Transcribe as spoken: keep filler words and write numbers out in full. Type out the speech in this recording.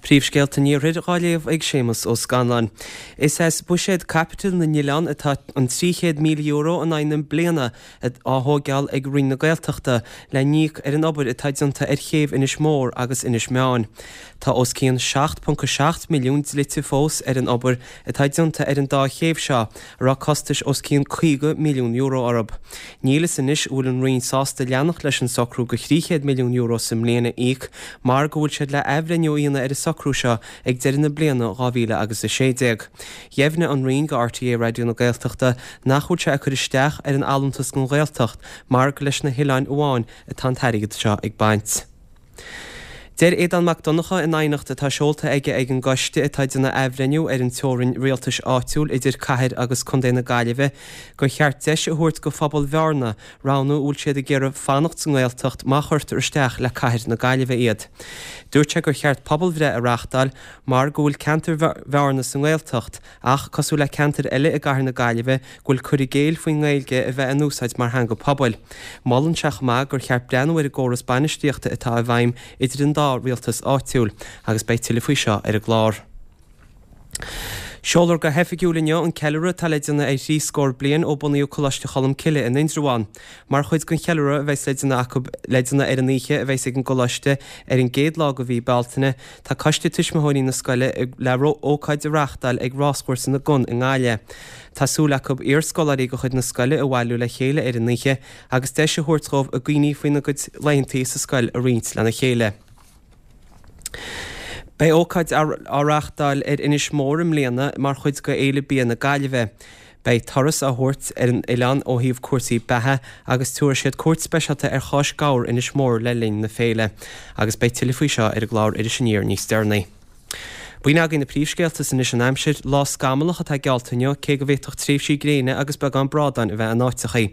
Príomhscéalta an Iarthair dhá léamh ag Séamus Ó Scanláin. Is as buiséad caipitil na n-oileán atá an trí chéad míle euro in aghaidh na bliana á thóigeáil ag Roinn na Gaeltachta le n-íoc ar an obair atá déanta ar chéibh Inis Mór agus Inis Meáin. Tá os cionn seacht ponc a seacht milliún dlite fós ar an obair atá déanta ar an dá chéibh seo, a raibh costais os cionn caoga milliún euro orthu. Níl fhios anois an bhfuil an Roinn sásta leanacht leis an socrú go thrí chéad milliún euro sa mbliain a íoc mar go bhfuil siad le athbhreithniú a dhéanamh ar an socrú seo ag deireadh na bliana dhá mhíle agus a sé déag. Dheimhnigh an Roinn go RTÉ Raidió na Gaeltachta nach bhfuil sé ag cur isteach ar an allúntas don Ghaeltacht mar gur leis na hoileáin amháin atá an t-airgead seo ag baint. Deir Aodán Mac Donncha in aighneacht atá seolta aige ag an gcoiste atá ag déanamh athbhreithniú ar an teorainn rialtais áitiúil idir cathair agus contae na Gaillimhe gur cheart deis a thabhairt go phobal Bhearna roghnú an bhfuil siad ag iarraidh fanacht sa nGaeltacht má chuirtear isteach le cathair na Gaillimhe iad. Dúirt sé gur cheart pobalbhreith a reáchtáil mar go bhfuil ceantar Bhearna sa nGaeltacht ach, cosúil le ceantair eile i gcathair na Gaillimhe, go bhfuil cur i gcéill faoin nGaeilge a bheith in úsáid mar theanga pobail. Molann sé chomh maith gur cheart breathnú ar an gcóras bainistíochta atá i bhfeidhm idir an dá rialtas áitiúil agus beidh tuilleadh faoi seo ar an gclár. Seolfar go hoifigiúil inniu an ceiliúradh atá le déanamh ar thrí scór bliain ó bunaíodh Coláiste Cholmcille in Indreabhán. Mar chuid den cheiliúradh a bheas le déanamh acu le déanamh ar an oíche a bheas ag an gcoláiste ar an gcéad lá de mhí Bealtaine, tá coiste tuismitheoirí na scoile le ócáid a reáchtáil ag Ráschúrsa na gCon i nGaillimh. Tá súil acu iarscoláirí de chuid na scoile a bhailiú le chéile ar an oíche agus deis a thabhairt dhóibh a gcuimhní faoina gcuid laethantaí sa scoil a roinnt lena chéile. Beidh ócáid á reáchtáil ar Inis Mór i mbliana mar chuid de Fhéile Bia na Gaillimhe. Beidh turas á thabhairt ar an oileán ó thaobh cúrsaí beatha agus tabharfaidh siad cuairt speisialta ar Cháis Gabhar Inis Mór le linn na féile. Agus beidh tuilleadh faoi seo ar an gclár Iris Aniar níos deireanaí. B'in againn na príomhscéalta is anois an aimsir. Lá scamallach atá geallta inniu, cé go bhféadfadh tréimhsí gréine agus beagán brádáin a bheith in áiteachaí.